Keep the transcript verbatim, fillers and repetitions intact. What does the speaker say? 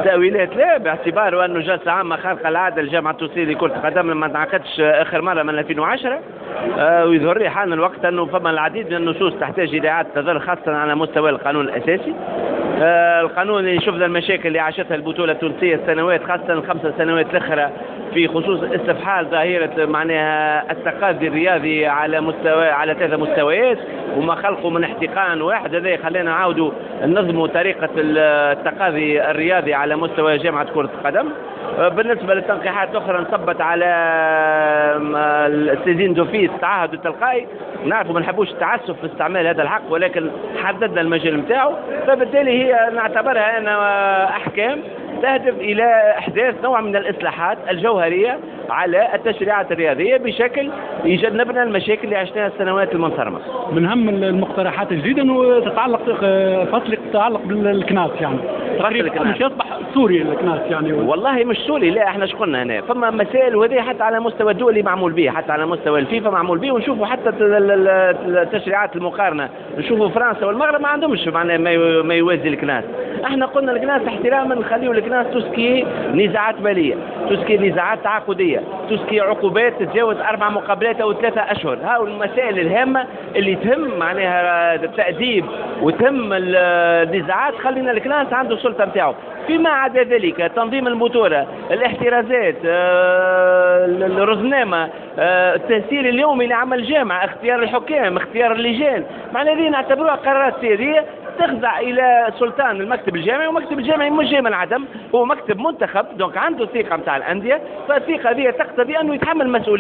تأويلات لا، باعتبار أنه جلسة عامة خارقة العادة للجامعة التونسية لكرة القدم ما انعقدش آخر مرة من ألفين وعشرة، آه، ويظهر لي حان الوقت أنه فما العديد من النصوص تحتاج إلى إعادة نظر، خاصة على مستوى القانون الأساسي. آه، القانون اللي شفنا المشاكل اللي عاشتها البطولة التونسية السنوات، خاصة الخمس سنوات الأخرى، في خصوص استفحال ظاهرة معناها التقاضي الرياضي على مستوى على ثلاثة مستويات وما خلقوا من احتقان واحد. هذا خلينا نعاودوا ننظموا طريقة التقاضي الرياضي على مستوى جامعة كرة القدم. آه، بالنسبة للتنقيحات الأخرى نصبت على ال saisine d'office، التعهد التلقائي. نعرفوا ما نحبوش التعسف في استعمال هذا الحق، ولكن حددنا المجال نتاعو، فبالتالي هي نعتبرها أنا أحكام تهدف إلى إحداث نوع من الإصلاحات الجوهرية على التشريعات الرياضية بشكل يجنبنا المشاكل اللي عشناها السنوات المنصرمة. من أهم المقترحات الجديدة أنه تتعلق فصل يتعلق بالكناس، يعني تقريبا مش يصبح صوري الكناس يعني. والله مش صوري، لا، احنا شقلنا هنا فما مسائل، وهذه حتى على مستوى الدولي معمول به، حتى على مستوى الفيفا معمول به، ونشوفوا حتى التشريعات المقارنة، نشوفوا فرنسا والمغرب ما عندهمش معناها ما يوازي الكناس. احنا قلنا الكناس احتراما نخليو الكناس tout ce qui est نزاعات ماليه، tout ce qui est نزاعات تعاقديه، tout ce qui est عقوبات تتجاوز اربع مقابلات او ثلاثة اشهر. هاو المسائل الهامة اللي تهم معناها التاديب وتهم النزاعات، خلينا الكناس عنده السلطة نتاعو. فيما عدا ذلك تنظيم البطوله، الاحترازات، آه، الرزنامه، آه، التسيير اليومي لعمل الجامعه، اختيار الحكام، اختيار اللجان، معناها هذه نعتبروها قرارات سيادية تخضع الى سلطان المكتب الجامعي، ومكتب الجامعي مش جاي من العدم، هو مكتب منتخب، donc عنده ثقة نتاع الانديه، فالثقه هذه تقتضي انه يتحمل مسؤولية.